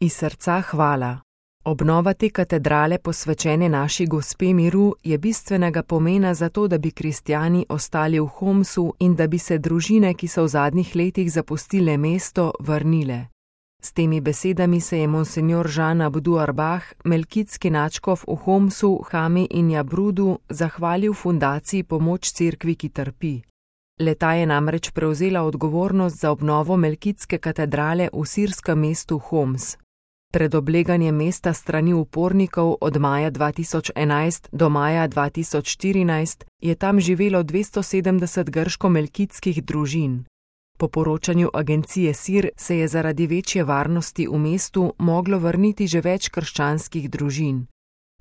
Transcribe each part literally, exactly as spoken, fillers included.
Iz srca hvala. Obnova te katedrale posvečene naši Gospe miru je bistvenega pomena za to, da bi kristjani ostali v Homsu in da bi se družine, ki so v zadnjih letih zapustile mesto, vrnile. S temi besedami se je monsinjor Jean Abdou Arbah, melkitski nadškof v Homsu, Hami in Jabrudu, zahvalil fundaciji Pomoč cerkvi, ki trpi. Le-ta je namreč prevzela odgovornost za obnovo melkitske katedrale v sirskem mestu Homs. Pred obleganjem mesta strani upornikov od maja dva tisoč enajst do maja dva tisoč štirinajst je tam živelo dvesto sedemdeset grško-melkitskih družin. Po poročanju agencije Sir se je zaradi večje varnosti v mestu moglo vrniti že več krščanskih družin.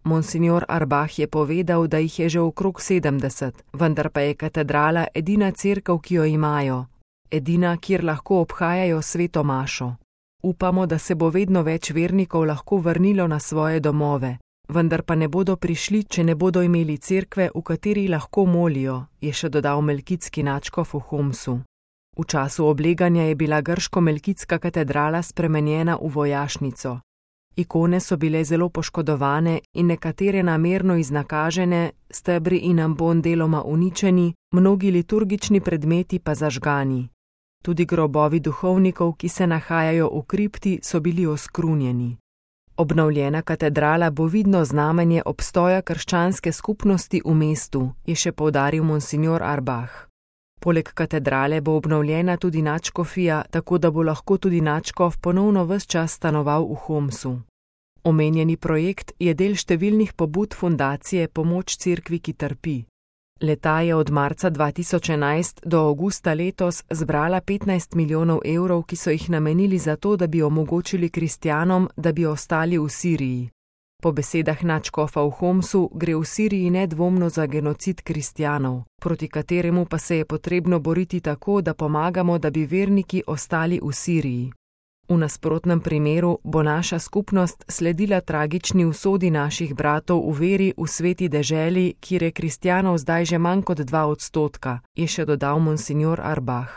Monsinjor Arbah je povedal, da jih je že okrog sedemdeset, vendar pa je katedrala edina cerkev, ki jo imajo, edina, kjer lahko obhajajo sveto mašo. Upamo, da se bo vedno več vernikov lahko vrnilo na svoje domove, vendar pa ne bodo prišli, če ne bodo imeli cerkve, v kateri lahko molijo, je še dodal melkitski nadškof v Homsu. V času obleganja je bila grško-melkitska katedrala spremenjena v vojašnico. Ikone so bile zelo poškodovane in nekatere namerno iznakažene, stebri in ambon deloma uničeni, mnogi liturgični predmeti pa zažgani. Tudi grobovi duhovnikov, ki se nahajajo v kripti, so bili oskrunjeni. Obnovljena katedrala bo vidno znamenje obstoja krščanske skupnosti v mestu, je še poudaril monsinjor Arbah. Poleg katedrale bo obnovljena tudi nadškofija, tako da bo lahko tudi nadškof ponovno ves čas stanoval v Homsu. Omenjeni projekt je del številnih pobud fundacije Pomoč cerkvi, ki trpi. Le-ta je od marca dva tisoč enajst do avgusta letos zbrala petnajst milijonov evrov, ki so jih namenili za to, da bi omogočili kristjanom, da bi ostali v Siriji. Po besedah nadškofa v Homsu gre v Siriji nedvomno za genocid kristjanov, proti kateremu pa se je potrebno boriti tako, da pomagamo, da bi verniki ostali v Siriji. V nasprotnem primeru bo naša skupnost sledila tragični usodi naših bratov v veri v sveti deželi, kjer je kristjanov zdaj že manj kot dva odstotka, je še dodal monsinjor Arbah.